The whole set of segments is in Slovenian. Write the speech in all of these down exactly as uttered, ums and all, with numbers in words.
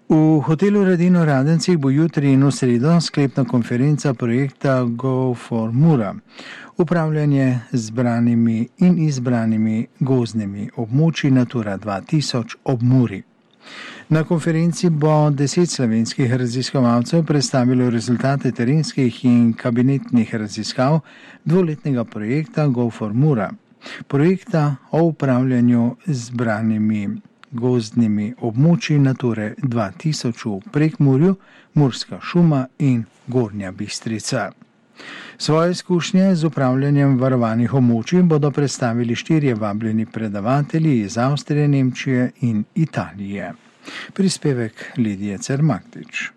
V hotelu Radin v Radencih bo jutri in v sredo sklepna konferenca projekta Go for Mura. Upravljanje z zbranimi in izbranimi gozdnimi območji Natura dva tisoč ob Muri. Na konferenci bo deset slovenskih raziskovalcev predstavilo rezultate terenskih in kabinetnih raziskav dvoletnega projekta Go for Mura, projekta o upravljanju z zbranimi gozdnimi območji Nature dva tisoč v Prekmurju, Murska šuma in Gornja Bistrica. Svoje izkušnje z upravljanjem varovanih območij bodo predstavili štirje vabljeni predavatelji iz Avstrije, Nemčije in Italije. Prispevek Lidije Cermaktič.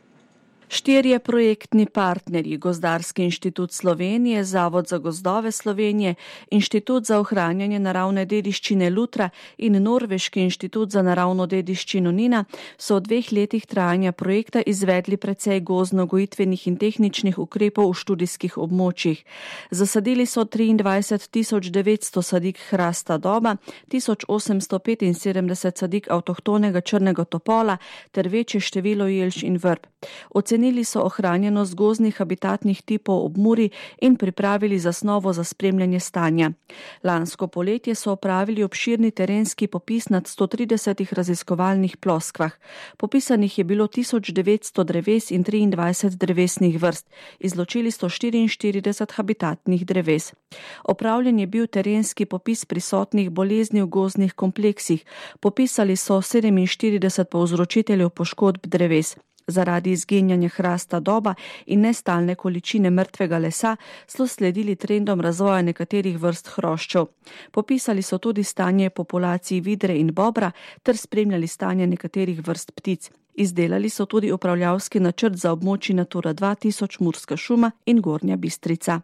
Štirje projektni partnerji, Gozdarski inštitut Slovenije, Zavod za gozdove Slovenije, Inštitut za ohranjanje naravne dediščine Lutra in Norveški inštitut za naravno dediščino Nina, so v dveh letih trajanja projekta izvedli precej gozdno-gojitvenih in tehničnih ukrepov v študijskih območjih. Zasadili so triindvajset tisoč devetsto sadik hrasta doba, tisoč osemsto petinsedemdeset sadik avtohtonega črnega topola ter večje število jelč in vrb. Ocenili so ohranjenost gozdnih habitatnih tipov ob Muri in pripravili zasnovo za spremljanje stanja. Lansko poletje so opravili obširni terenski popis nad sto tridesetih raziskovalnih ploskvah. Popisanih je bilo tisoč devetsto dreves in triindvajset drevesnih vrst. Izločili sto štiriinštirideset habitatnih dreves. Opravljen je bil terenski popis prisotnih bolezni v gozdnih kompleksih. Popisali so sedeminštirideset povzročiteljev poškodb dreves. Zaradi izginjanja hrasta doba in nestalne količine mrtvega lesa so sledili trendom razvoja nekaterih vrst hroščev. Popisali so tudi stanje populacij vidre in bobra ter spremljali stanje nekaterih vrst ptic. Izdelali so tudi upravljavski načrt za območji Natura dva tisoč Murska šuma in Gornja Bistrica.